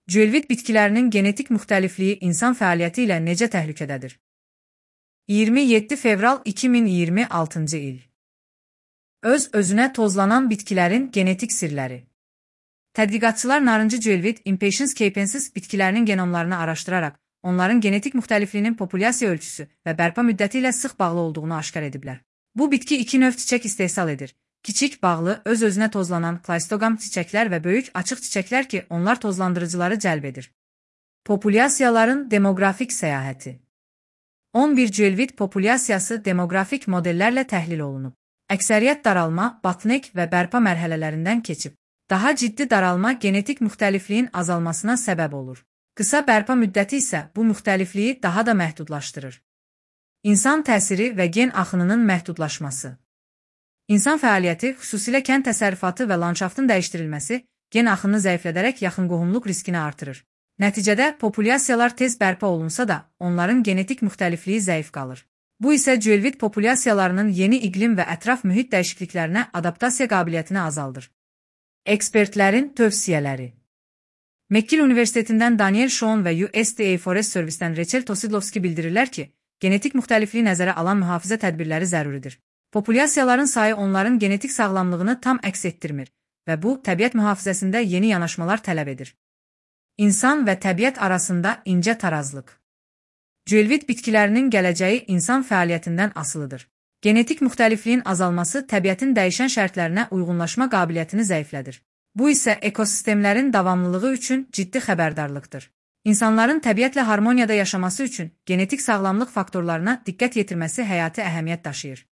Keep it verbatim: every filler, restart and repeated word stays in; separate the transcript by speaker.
Speaker 1: Cülvid bitkilərinin genetik müxtəlifliyi insan fəaliyyəti ilə necə təhlükədədir? iyirmi yeddi fevral iki min iyirmi altıncı il. Öz-özünə tozlanan bitkilərin genetik sirləri. Tədqiqatçılar narıncı cülvid Impatiens capensis bitkilərinin genomlarını araşdıraraq, onların genetik müxtəlifliyinin populyasiya ölçüsü və bərpa müddəti ilə sıx bağlı olduğunu aşkar ediblər. Bu bitki iki növ çiçək istehsal edir. Kiçik, bağlı, öz-özünə tozlanan klaystogam çiçəklər və böyük, açıq çiçəklər ki, onlar tozlandırıcıları cəlb edir. Populyasiyaların demoqrafik səyahəti. on bir cülvid populyasiyası demoqrafik modellərlə təhlil olunub. Əksəriyyət daralma, batnek və bərpa mərhələlərindən keçib. Daha ciddi daralma genetik müxtəlifliyin azalmasına səbəb olur. Qısa bərpa müddəti isə bu müxtəlifliyi daha da məhdudlaşdırır. İnsan təsiri və gen axınının məhdudlaşması. İnsan fəaliyyəti, xüsusilə kənd təsərrüfatı və landşaftın dəyişdirilməsi, gen axını zəiflədərək yaxın qohumluq riskini artırır. Nəticədə populyasiyalar tez bərpa olunsa da, onların genetik müxtəlifliyi zəif qalır. Bu isə cülvid populyasiyalarının yeni iqlim və ətraf mühit dəyişikliklərinə adaptasiya qabiliyyətini azaldır. Ekspertlərin tövsiyələri. McGill Universitetindən Daniel Schoen və U S D A Forest Service'dən Rachel Tosidlovski bildirirlər ki, genetik müxtəlifliyi nəzərə alan mühafizə tədbirləri zəruridir. Populyasiyaların sayı onların genetik sağlamlığını tam əks etdirmir və bu, təbiət mühafizəsində yeni yanaşmalar tələb edir. İnsan və təbiət arasında incə tarazlıq. Cülvid bitkilərinin gələcəyi insan fəaliyyətindən asılıdır. Genetik müxtəlifliyin azalması təbiətin dəyişən şərtlərinə uyğunlaşma qabiliyyətini zəiflədir. Bu isə ekosistemlərin davamlılığı üçün ciddi xəbərdarlıqdır. İnsanların təbiətlə harmoniyada yaşaması üçün genetik sağlamlıq faktorlarına diqqət yetirməsi həyati əhəmiyyət daşıyır.